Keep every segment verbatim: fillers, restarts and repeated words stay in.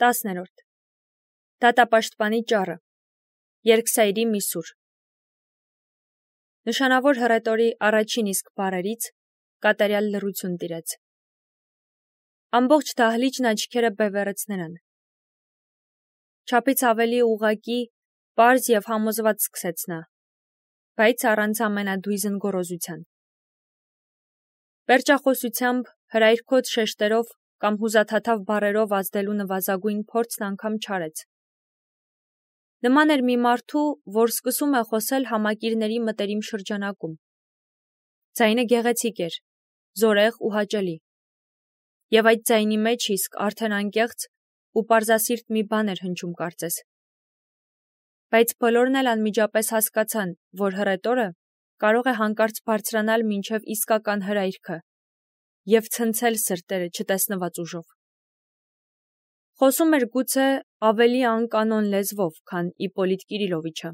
տասներորդ Դատապաշտպանի ճառը Երկսայրի միսուր Նշանավոր հռետորի առաջին իսկ բառերից կատարյալ լռություն տիրեց։ Ամբողջ դահլիճն աչքերը բևեռեց նրան։ Չափից ավելի ուղղակի, պարզ և համոզված սկսեց նա, բայց առանց ամենադույզն գոռոզության։ Պերճախոսությամբ, հրայրքոտ շեշտերով կամ հուզաթաթավ բառերով ազդելու նվազագույն փորձն անգամ չարեց։ Նման էր մի մարդու, որ սկսում է խոսել համակիրների մտերիմ շրջանակում։ Ձայնը գեղեցիկ էր, զորեղ ու հաճելի, և այդ ձայնի մեջ իսկ արդեն անկեղծ ու պարզասիրտ մի բան էր հնչում կարծես։ Բայց բոլորն էլ անմիջապես հասկացան, որ հռետորը կարող է հանկարծ բարձրանալ մինչև իսկական հրայրքը և ցնցել սրտերը չտեսնված ուժով։ Խոսում էր գուցե ավելի անկանոն լեզվով, քան Իպոլիտ Կիրիլովիչը,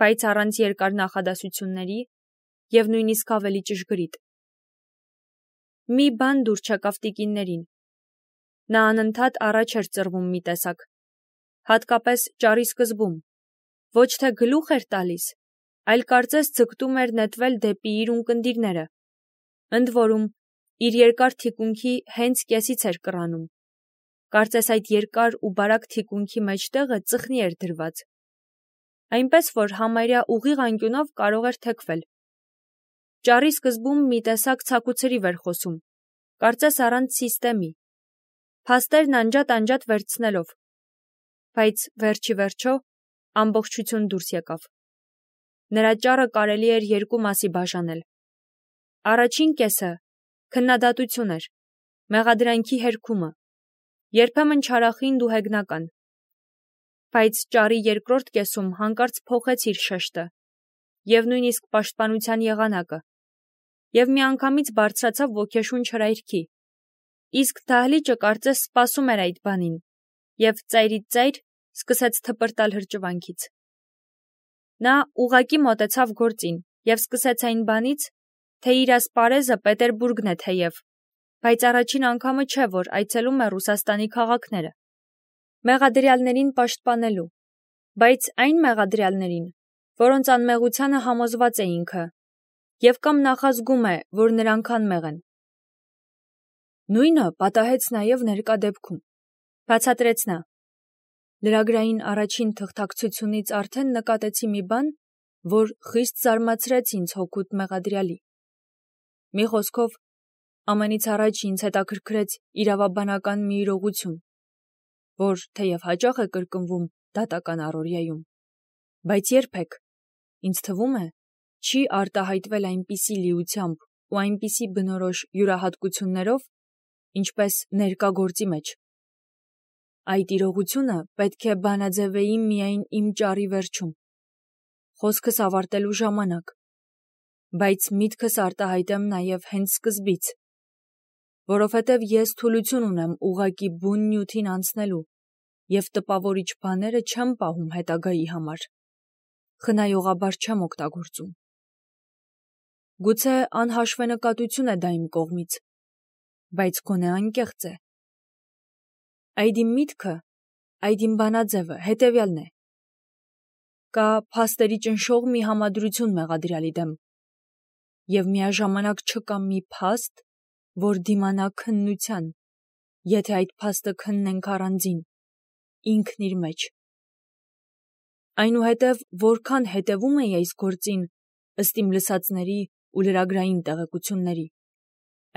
բայց առանց երկար նախադասությունների և նույնիսկ ավելի ճշգրիտ։ Մի բան դուր չեկավ տիկիններին։ Նա անընդհատ առաջ էր ծռվում մի տեսակ, հատկապես ճառի սկզբում, ոչ թե գլուխ էր տալիս, այլ կարծես ձգտում էր նետվել դեպի իր ունկնդիրները, ընդ որում իր երկար թիկունքի հենց կեսից էր կռանում, կարծես այդ երկար ու բարակ թիկունքի մեջտեղը ծխնի էր դրված, այնպես որ համարյա ուղիղ անկյունով կարող էր թեքվել։ Ճառի սկզբում մի տեսակ ցաքուցրիվ էր խոսում, կարծես առանց սիստեմի, փաստերն անջատ-անջատ վերցնելով, բայց վերջի վերջո ամբողջություն դուրս եկավ։ Նրա ճառը կարելի էր երկու մասի բաժանել։ Առաջին կեսը քննադատություն էր, մեղադրանքի հերքումը, երբեմն չարախինդ ու հեգնական, բայց ճառի երկրորդ կեսում հանկարծ փոխեց իր շեշտը և նույնիսկ պաշտպանության եղանակը և միանգամից բարձրացավ ոգեշունչ հրայրքի, իսկ դահլիճը կարծես սպասում էր այդ բանին և ծայրից ծայր սկսեց թպրտալ հրճվանքից։ Նա ուղղակի մոտեցավ գործին և սկսեց այն բանից, թե իր ասպարեզը Պետերբուրգն է թեև, բայց առաջին անգամը չէ, որ այցելում է Ռուսաստանի քաղաքները, մեղադրյալներին պաշտպանելու, բայց այն մեղադրյալներին, որոնց անմեղությանը համոզված է ինքը և կամ նախազգում է, որ նրանք անմեղ են։ Նույնը պատահեց նաև ներկա դեպքում, բացատրեց նա։ Լրագրային առաջին թղթակցությունից արդեն նկատեցի մի բան, որ խիստ զարմացրեց ինձ հօգուտ մեղադրյալի։ Մի խոսքով, ամենից առաջ ինձ հետաքրքրեց իրավաբանական մի իրողություն, որ թեև հաճախ է կրկնվում դատական առօրյայում, բայց երբեք, ինձ թվում է, չի արտահայտվել այնպիսի լիությամբ ու այնպիսի բնորոշ յուրահատկություններով, ինչպես ներկա գործի մեջ։ Այդ իրողությունը պետք է բանաձևեի միայն իմ ճառի վերջում, խոսքս ավարտելու ժամանակ, բայց միտքս արտահայտեմ նաև հենց սկզբից, որովհետև ես թուլություն ունեմ ուղղակի բուն նյութին անցնելու և տպավորիչ բաները չեմ պահում հետագայի համար, խնայողաբար չեմ օգտագործում։ Գուցե անհաշվենկատություն է դա իմ կողմից, բայց գոնե անկեղծ է։ Այդ իմ միտքը, այդ իմ բանաձևը հետևյալն է. կա փաստերի ճնշող մի համադրություն մեղադրյալի դեմ, և միաժամանակ չկա մի փաստ, որ դիմանա քննության, եթե այդ փաստը քննենք առանձին, ինքն իր մեջ։ Այնուհետև որքան հետևում էի այս գործին, ըստ իմ լսածների ու լրագրային տեղեկությունների,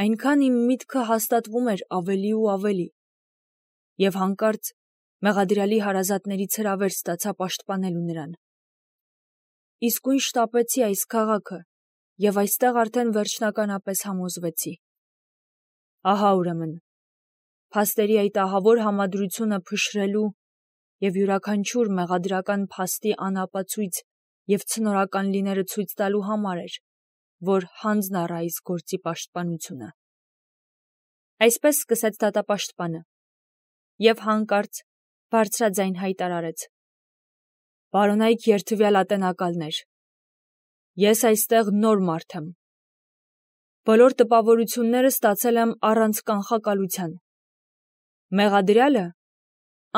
այնքան իմ միտքը հաստատվում էր ավելի ու ավելի, և հանկարծ մեղադրյալի հարազատներից հրավեր ստացա պաշտպանելու նրան։ Իսկույն շտապեցի այս քաղաքը և այստեղ արդեն վերջնականապես համոզվեցի։ Ահա ուրեմն, փաստերի այդ ահավոր համադրությունը փշրելու և յուրաքանչյուր մեղադրական փաստի անապացույց և ցնորական լինելը ցույց տալու համար էր, որ հանձն առա այս գործի պաշտպանությունը։ Այսպես սկսեց դատապաշտպանը և հանկարծ բարձրաձայն հայտարարեց. «Պարոնայք երդվյալ ատենակալներ, ես այստեղ նոր մարդ եմ։ Բոլոր տպավորությունները ստացել եմ առանց կանխակալության։ Մեղադրյալը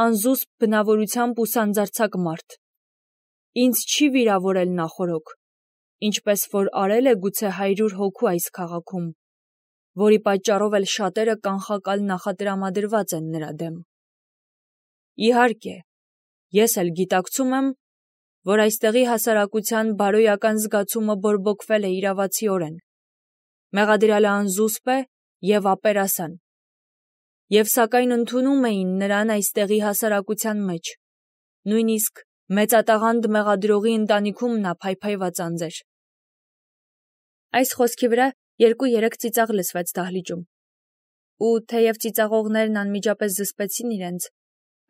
անզուսպ բնավորությամբ ու սանձարձակ մարդ։ Ինձ չի վիրավորել նախորոք, ինչպես որ արել է գուցե հարյուր հոգու այս քաղաքում, որի պատճառով էլ շատերը կանխակալ նախատրամադրված են նրա դեմ։ Իհարկե, ես էլ գիտակցում եմ, որ այստեղի հասարակության բարոյական զգացումը բորբոքվել է իրավացիորեն, մեղադրյալը անզուսպ է և ապերասան, և սակայն ընդունում էին նրան այստեղի հասարակության մեջ, նույնիսկ մեծատաղանդ մեղադրողի ընտանիքում նա փայփայված անձեր։ Այս խոսքի վրա երկու-երեք ծիծաղ լսվեց դահլիճում, ու թեև ծիծաղողներն անմիջապես զսպեցին իրենց,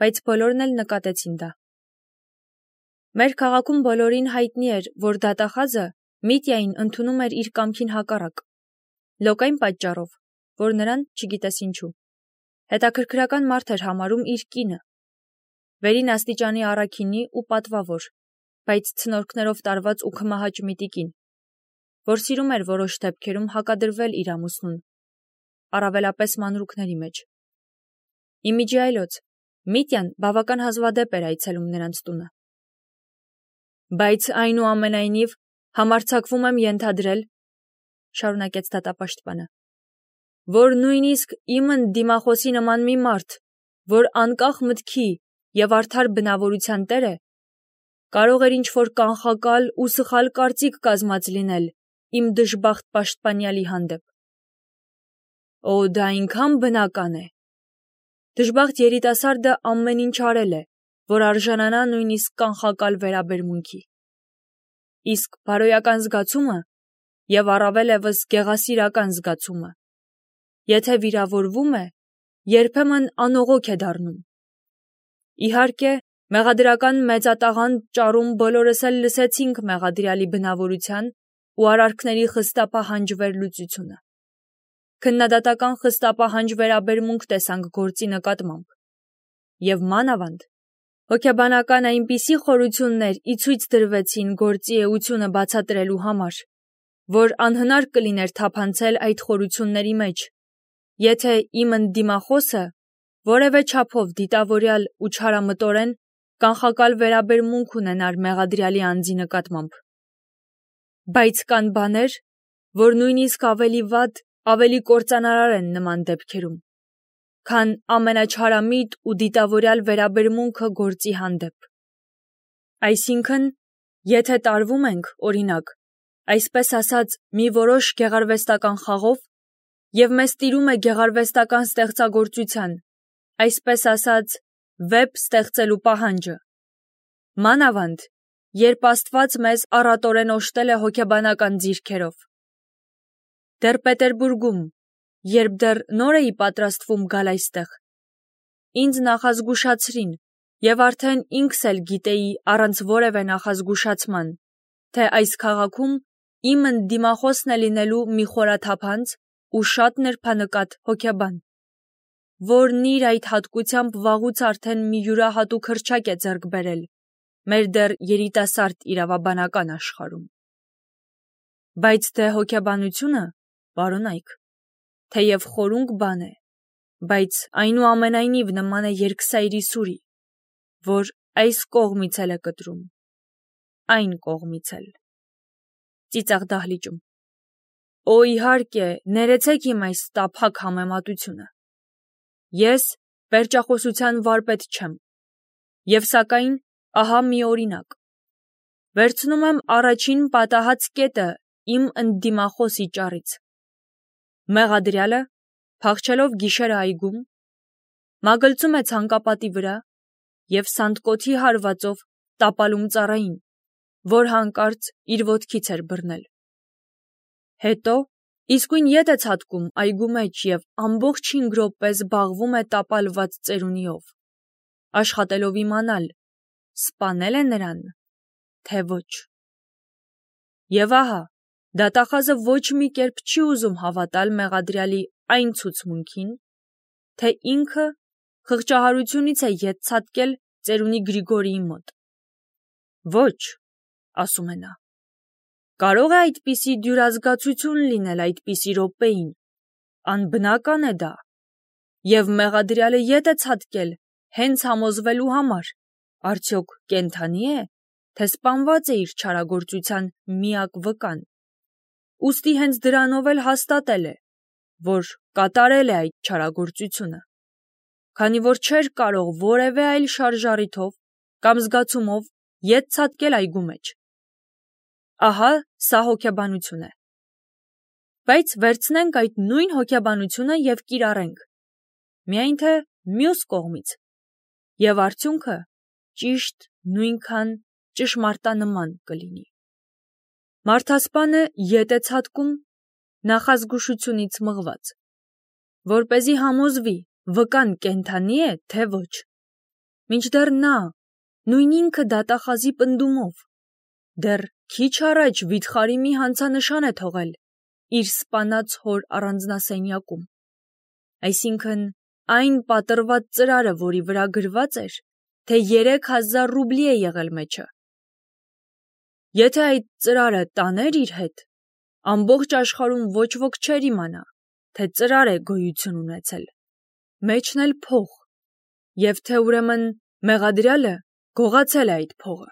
բայց բոլորն էլ նկատեցին դա։ Մեր քաղաքում բոլորին հայտնի էր, որ դատախազը Միտյային ընդունում էր իր կամքին հակառակ, լոկայն պատճառով, որ նրան, չգիտես ինչու, հետաքրքրական մարդ էր համարում իր կինը, վերին աստիճանի առաքինի ու պատվավոր, բայց ցնորքներով տարված ու քմահաճ միտիկին, որ սիրում էր որոշ դեպքերում հակադրվել իր ամուսնուն, առավելապես մանրուքների մեջ։ Իմիջի այլոց, Միտյան բավական հազվադեպ էր այցելում նրանց տունը։ Բայց այնուամենայնիվ համարձակվում եմ ենթադրել, շարունակեց դատապաշտպանը, որ նույնիսկ իմ դիմախոսի նման մի մարդ, որ անկախ մտքի և արդար բնավորության տեր է, կարող էր ինչ-որ կանխակալ ու սխալ կարծիք կազմած լինել իմ դժբախտ պաշտպանյալի հանդեպ։ Օ, դա այնքան բնական է։ Դժբախտ երիտասարդը ամեն ինչ արել է, որ արժանանա նույնիսկ կանխակալ վերաբերմունքի։ Իսկ բարոյական զգացումը և առավել ևս գեղասիրական զգացումը, եթե վիրավորվում է, երբեմն անողոք է դառնում։ Իհարկե, մեղադրական մեծատաղանդ ճառում բոլորս էլ լսեցինք մեղադրյալի բնավորության ու արարքների խստապահանջ վերլուծությունը։ Քննադատական խստապահանջ վերաբերմունք տեսանք գործի նկատմամբ, և մանավանդ հոգեբանական այնպիսի խորություններ ի ցույց դրվեցին գործի էությունը բացատրելու համար, որ անհնար կլիներ թափանցել այդ խորությունների մեջ, եթե իմ ընդդիմախոսը որևէ չափով դիտավորյալ ու չարամտորեն կանխակալ վերաբերմունք ունենար մեղադրյալի անձի նկատմամբ։ Բայց կան բաներ, որ նույնիսկ ավելի վատ, ավելի կործանարար են նման դեպքերում, քան ամենաչարամիտ ու դիտավորյալ վերաբերմունքը գործի հանդեպ։ Այսինքն, եթե տարվում ենք, օրինակ, այսպես ասած, մի որոշ գեղարվեստական խաղով, և մեզ տիրում է գեղարվեստական ստեղծագործության, այսպես ասած, վեպ ստեղծելու պահանջը, մանավանդ, երբ Աստված մեզ առատորեն օժտել է հոգեբանական ձիրքերով։ Դեռ Պետերբուրգում, երբ դեռ նոր էի պատրաստվում գալ այստեղ, ինձ նախազգուշացրին, և արդեն ինքս էլ գիտեի առանց որևէ նախազգուշացման, թե այս քաղաքում իմ ընդդիմախոսն է լինելու մի խորաթափանց ու շատ նրբանկատ հոգեբան, որն իր այդ հատկությամբ վաղուց արդեն մի յուրահատուկ հռչակ է ձեռք բերել մեր դեռ երիտասարդ իրավաբանական աշխարհում։ Բայց դե հոգեբանությունը, պարոնայք, թեև խորունկ բան է, բայց այնուամենայնիվ նման է երկսայրի սուրի, որ այս կողմից էլ է կտրում, այն կողմից էլ։ Ծիծաղ դահլիճում։ Օ, իհարկե, ներեցեք իմ այս տափակ համեմատությունը։ Ես պերճախոսության վարպետ չեմ, և սակայն ահա մի օրինակ։ Վերցնում եմ առաջին պատահած կետը իմ ընդդիմախոսի ճառից։ Մեղադրյալը, փախչելով գիշերը այգում, մագլցում է ցանկապատի վրա և սանդկոթի հարվածով տապալում ծառային, որ հանկարծ իր ոտքից էր բռնել։ Հետո իսկույն ետ է ցատկում այգու մեջ և ամբողջ հինգ րոպե զբաղվում է տապալված ծերունիով, աշխատելով իմանալ, սպանել է նրան, թե ոչ։ Եվ ահա, դատախազը ոչ մի կերպ չի ուզում հավատալ մեղադրյալի այն ցուցմունքին, թե ինքը խղճահարությունից է ետ ցատկել ծերունի Գրիգորիի մոտ։ Ոչ, ասում է նա, կարող է այդպիսի դյուրազգացություն լինել այդպիսի րոպեին, անբնական է դա, և մեղադրյալը ետ է ցատկել հենց համոզվելու համար, արդյոք կենդանի է, թե սպանված է իր չարագործության միակ վկան։ Ուստի հենց դրանով էլ հաստատել է, որ կատարել է այդ չարագործությունը, քանի որ չէր կարող որևէ այլ շարժառիթով կամ զգացումով ետ ցատկել այգու մեջ։ Ահա սա հոգեբանություն է։ Բայց վերցնենք այդ նույն հոգեբանությունը և կիրառենք, միայն թե մյուս կողմից, և արդյունքը ճիշտ նույնքան ճշմարտանման կլինի։ Մարդասպանը ետ է ցատկում նախազգուշությունից մղված, որպեսզի համոզվի վկան կենդանի է, թե ոչ, մինչդեռ նա նույն ինքը դատախազի պնդումով դեռ քիչ առաջ վիթխարի մի հանցանշան է թողել իր սպանած հոր առանձնասենյակում, այսինքն այն պատռված ծրարը, որի վրա գրված էր, թե երեք հազար ռուբլի է եղել մեջը։ Եթե այդ ծրարը տաներ իր հետ, ամբողջ աշխարհում ոչ ոք չէր իմանա, թե ծրար է գոյություն ունեցել, մեջն էլ փող, և թե ուրեմն մեղադրյալը գողացել է այդ փողը։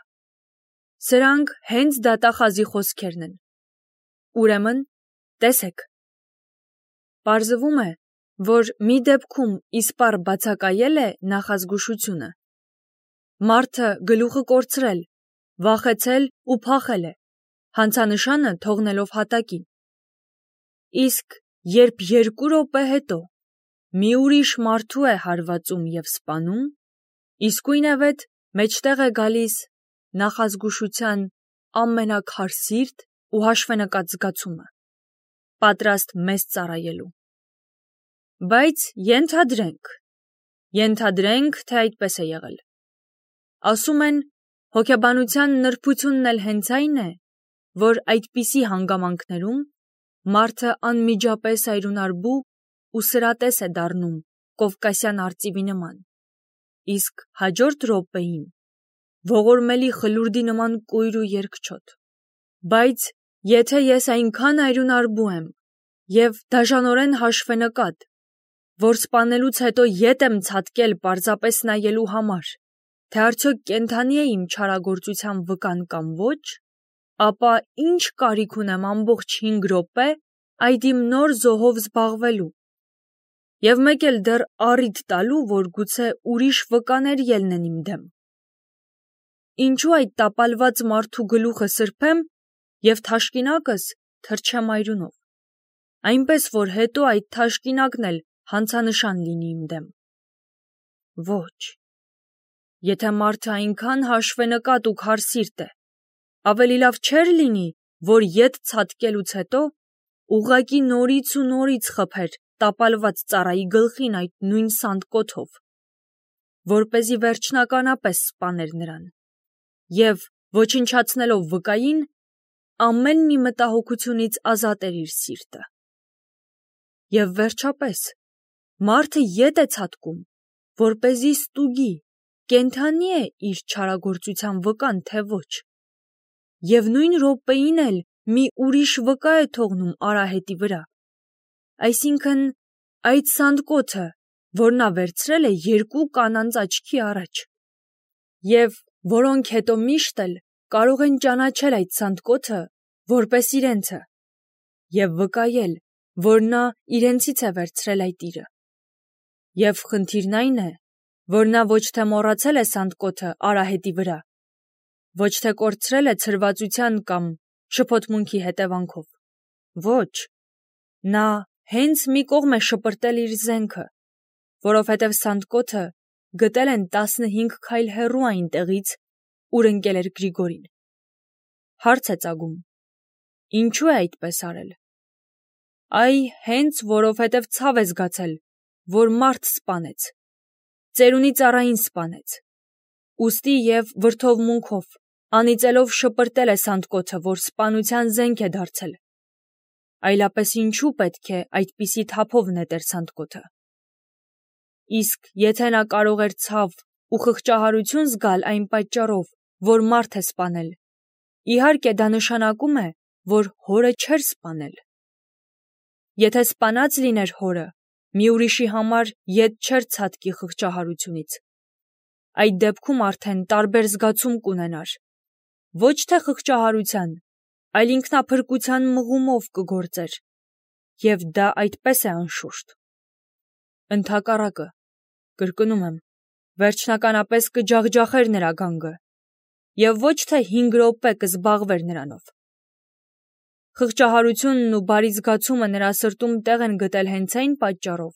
Սրանք հենց դատախազի խոսքերն են։ Ուրեմն, տեսեք, պարզվում է, որ մի դեպքում իսպառ բացակայել է նախազգուշությունը։ Մարդը գլուխը կորցրել, վախեցել ու փախել է, հանցանշանը թողնելով հատակին։ Իսկ երբ երկու րոպե հետո մի ուրիշ մարդու է հարվածում և սպանում, իսկույնևեթ մեջտեղ է գալիս նախազգուշության ամենաքարսիրտ ու հաշվենկատ զգացումը, պատրաստ մեզ ծառայելու։ Բայց ենթադրենք, ենթադրենք, թե այդպես է եղել։ Ասում են, հոգեբանության նրբությունն էլ հենց այն է, որ այդպիսի հանգամանքներում մարդը անմիջապես այրունարբու ու սրատես է դառնում կովկասյան արծիվի նման, իսկ հաջորդ րոպեին ողորմելի խլուրդի նման կույր ու երկչոտ։ Բայց եթե ես այնքան այրունարբու եմ և դաժանորեն հաշվենկատ, որ սպանելուց հետո ետ եմ ցատկել պարզապես նայելու համար, թե արդյոք կենդանի է իմ չարագործության վկան կամ ոչ, ապա ինչ կարիք ունեմ ամբողջ հինգ րոպե այդ իմ նոր զոհով զբաղվելու և մեկ էլ դեռ առիթ տալու, որ գուցե ուրիշ վկաներ ելնեն իմ դեմ։ Ինչու այդ տապալված մարդու գլուխը սրբեմ և թաշկինակս թրջեմ այրունով, այնպես որ հետո այդ թաշկինակն էլ հանցանշան լինի իմ դեմ։ Ոչ, եթե մարդը այնքան հաշվենկատ ու քարսիրտ է, ավելի լավ չէր լինի, որ ետ ցատկելուց հետո ուղղակի նորից ու նորից խփեր տապալված ծառայի գլխին այդ նույն սանդկոթով, որպեսզի վերջնականապես սպաներ նրան, և ոչնչացնելով վկային, ամեն մի մտահոգությունից ազատեր իր սիրտը։ Եվ վերջապես, մարդը ետ է ցատկում, որպեսզի ստուգի, կենդանի է իր չարագործության վկան, թե ոչ, և նույն րոպեին էլ մի ուրիշ վկա է թողնում արահետի վրա, այսինքն այդ սանդկոթը, որ նա վերցրել է երկու կանանց աչքի առաջ, և որոնք հետո միշտ էլ կարող են ճանաչել այդ սանդկոթը որպես իրենցը և վկայել, որ նա իրենցից է վերցրել այդ իրը։ Եվ խնդիրն այն է, որ նա ոչ թե մոռացել է սանդկոթը արահետի վրա, ոչ թե կորցրել է ցրվածության կամ շփոթմունքի հետևանքով, ոչ, նա հենց մի կողմ է շպրտել իր զենքը, որովհետև սանդկոթը գտել են տասնհինգ քայլ հեռու այն տեղից, ուր ընկել էր Գրիգորին։ Հարց է ծագում. ինչու է այդպես արել։ Այ հենց որովհետև ցավ է զգացել, որ մարդ սպանեց, ծերունի ծառային սպանեց, ուստի և վրդովմունքով, անիծելով շպրտել է սանդկոթը, որ սպանության զենք է դարձել, այլապես ինչու պետք է այդպիսի թափով նետեր սանդկոթը։ Իսկ եթե նա կարող էր ցավ ու խղճահարություն զգալ այն պատճառով, որ մարդ է սպանել, իհարկե դա նշանակում է, որ հորը չէր սպանել։ Եթե սպանած լիներ հորը, մի ուրիշի համար ետ չէր ցատկի խղճահարությունից, այդ դեպքում արդեն տարբեր զգացում կունենար, ոչ թե խղճահարության, այլ ինքնափրկության մղումով կգործեր, և դա այդպես է անշուշտ։ Ընդհակառակը, կրկնում եմ, վերջնականապես կջախջախեր նրա գանգը, և ոչ թե հինգ րոպե կզբաղվեր նրանով։ Խղճահարությունն ու բարի զգացումը նրա սրտում տեղ են գտել հենց այն պատճառով,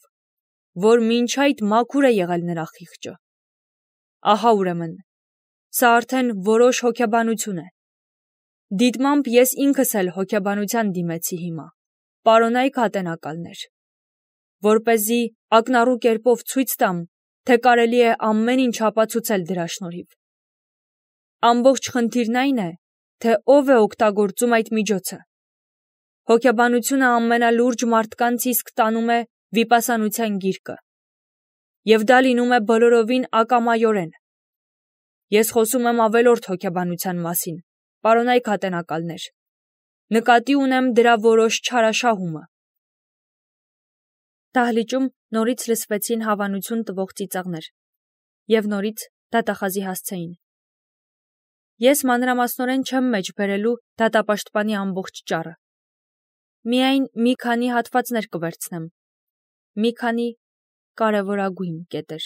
որ մինչ այդ մաքուր է եղել նրա խիղճը։ Ահա ուրեմն, սա արդեն որոշ հոգեբանություն է։ Դիտմամբ ես ինքս էլ հոգեբանության դիմեցի հիմա, պարոնայք ատենակալներ, որպեսզի ակնառու կերպով ցույց տամ, թե կարելի է ամեն ինչ ապացուցել դրա շնորհիվ։ Ամբողջ խնդիրն այն է, թե ով է օգտագործում այդ միջոցը։ Հոգեբանությունը ամենալուրջ մարդկանց իսկ տանում է վիպասանության գիրկը, և դա լինում է բոլորովին ակամայորեն։ Ես խոսում եմ ավելորդ հոգեբանության մասին, պարոնայք ատենակալներ, նկատի ունեմ դրա որոշ չարաշահումը։ Դահլիճում նորից լսվեցին հավանություն տվող ծիծաղներ, և նորից դատախազի հասցեին։ Ես մանրամասնորեն չեմ մեջ բերելու դատապաշտպանի ամբողջ ճառը։ Միայն մի քանի հատվածներ կվերցնեմ, մի քանի կարևորագույն կետեր։